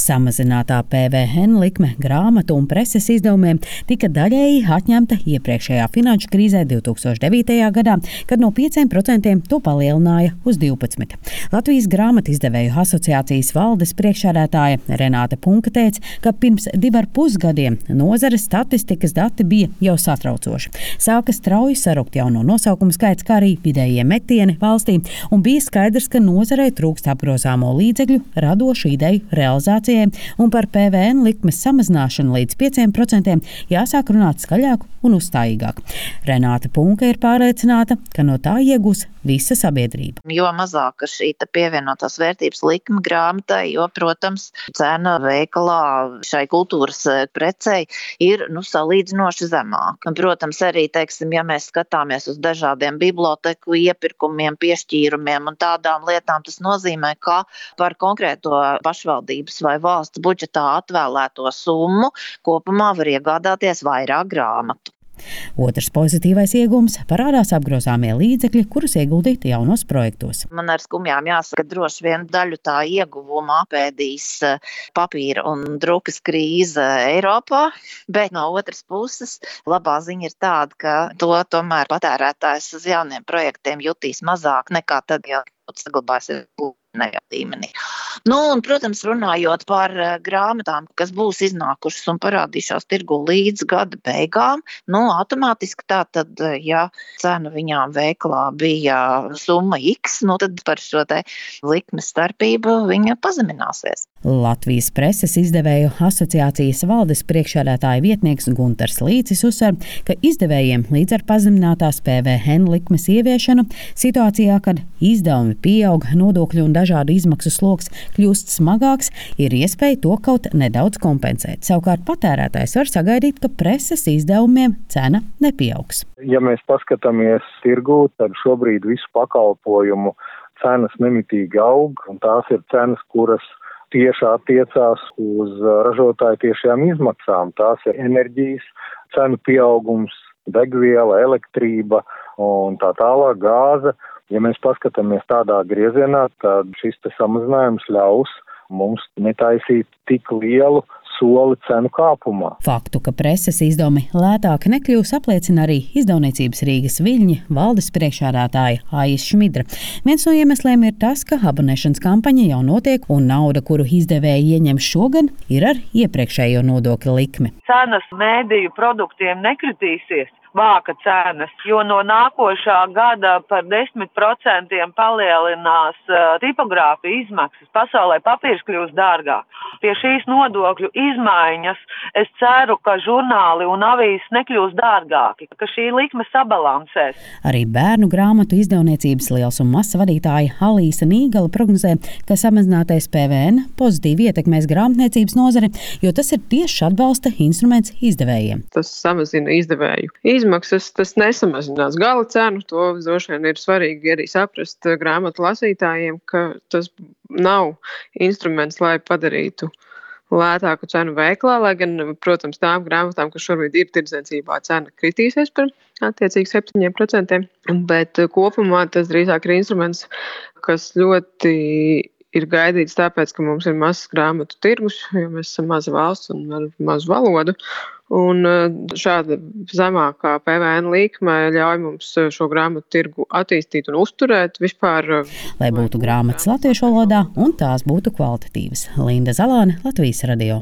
Samazinātā PVN likme grāmatu un preses izdevumiem tika daļēji atņemta iepriekšējā finanšu krīzē 2009. gadā, kad no 5% to palielināja uz 12%. Latvijas grāmatu izdevēju asociācijas valdes priekšsēdētāja Renāte Punka teica, ka pirms 2,5 gadiem nozares statistikas dati bija jau satraucoši. Sāka strauji sarukt jauno nosaukumu skaits, kā arī vidējie metieni valstī, un bija skaidrs, ka nozarei trūkst apgrozāmo līdzekļu radošu ideju realizācijai, un par PVN likmes samazināšanu līdz 5% jāsāk runāt skaļāk un uzstājīgāk. Renāte Punka ir pārliecināta, ka no tā iegūs visa sabiedrība. Jo mazāka šī pievienotās vērtības likme grāmatai, jo, protams, cena veikalā šai kultūras precei ir salīdzinoši zemāka. Protams, arī, ja mēs skatāmies uz dažādiem biblioteku iepirkumiem, piešķīrumiem un tādām lietām, tas nozīmē, ka par konkrēto pašvaldības vai valsts budžetā atvēlēto summu kopumā var iegādāties vairāk grāmatu. Otrs pozitīvais iegūms parādās apgrozāmie līdzekļi, kurus ieguldīt jaunos projektos. Man ar skumjām jāsaka, droši vien daļu tā ieguvuma apēdīs papīra un drukas krīze Eiropā, bet no otras puses labā ziņa ir tāda, ka to tomēr patērētājs uz jauniem projektiem jutīs mazāk nekā tad, ja saglabāsies līmenī. Un, protams, runājot par grāmatām, kas būs iznākušas un parādīšās tirgu līdz gada beigām, automātiski tātad, ja cena viņām veikalā bija summa X, tad par šo likmes starpību viņa pazemināsies. Latvijas preses izdevēju asociācijas valdes priekšsēdētāja vietnieks Guntars Līcis uzsver, ka izdevējiem līdz ar pazeminātās PVN likmes ieviešanu situācijā, kad izdevumi pieaug, nodokļu un dažādu izmaksu sloks kļūst smagāks, ir iespēja to kaut nedaudz kompensēt. Savukārt patērētājs var sagaidīt, ka preses izdevumiem cena nepieaugs. Ja mēs paskatāmies tirgū, tad šobrīd visu pakalpojumu cenas nemitīgi aug, un tās ir cenas, kuras tieši attiecās uz ražotāju tiešajām izmaksām. Tās ir enerģijas cenu pieaugums, degviela, elektrība un tā tālāk, gāze. Ja mēs paskatāmies tādā griezienā, tad šis samazinājums ļaus mums netaisīt tik lielu soli cenu kāpumā. Faktu, ka preses izdevumi lētāk nekļūs, apliecina arī izdevniecības Rīgas Viļņi valdes priekšsēdētāja Aijas Šmidra. Viens no iemesliem ir tas, ka abonēšanas kampaņa jau notiek un nauda, kuru izdevēji ieņem šogad, ir ar iepriekšējo nodokļa likmi. Cenas mēdīju produktiem nekritīsies. Vāka cenas, jo no nākošā gada par 10% palielinās tipogrāfija izmaksas. Pasaulē papīrs kļūs dārgāk. Pie šīs nodokļu izmaiņas es ceru, ka žurnāli un avīzes nekļūs dārgāki, ka šī likme sabalansēs. Arī bērnu grāmatu izdevniecības liels un mazs vadītāja Alīsa Nīgala prognozē, ka samazinātais PVN pozitīvi ietekmēs grāmatniecības nozari, jo tas ir tieši atbalsta instruments izdevējiem. Tas samazina izdevēju izmaksas, tas nesamazinās gala cenu. To droši vien ir svarīgi arī saprast grāmatu lasītājiem, ka tas nav instruments, lai padarītu lētāku cenu veiklā, lai gan, protams, tām grāmatām, kas šobrīd ir tirdzniecībā, cena kritīsies par attiecīgi 7%, bet kopumā tas drīzāk ir instruments, kas ļoti ir gaidīts tāpēc, ka mums ir mazs grāmatu tirgus, jo mēs esam maza valsts un ar mazu valodu. Un šāda zemākā PVN likme ļauj mums šo grāmatu tirgu attīstīt un uzturēt vispār. Lai būtu grāmatas latviešu valodā un tās būtu kvalitatīvas. Linda Zalāne, Latvijas radio.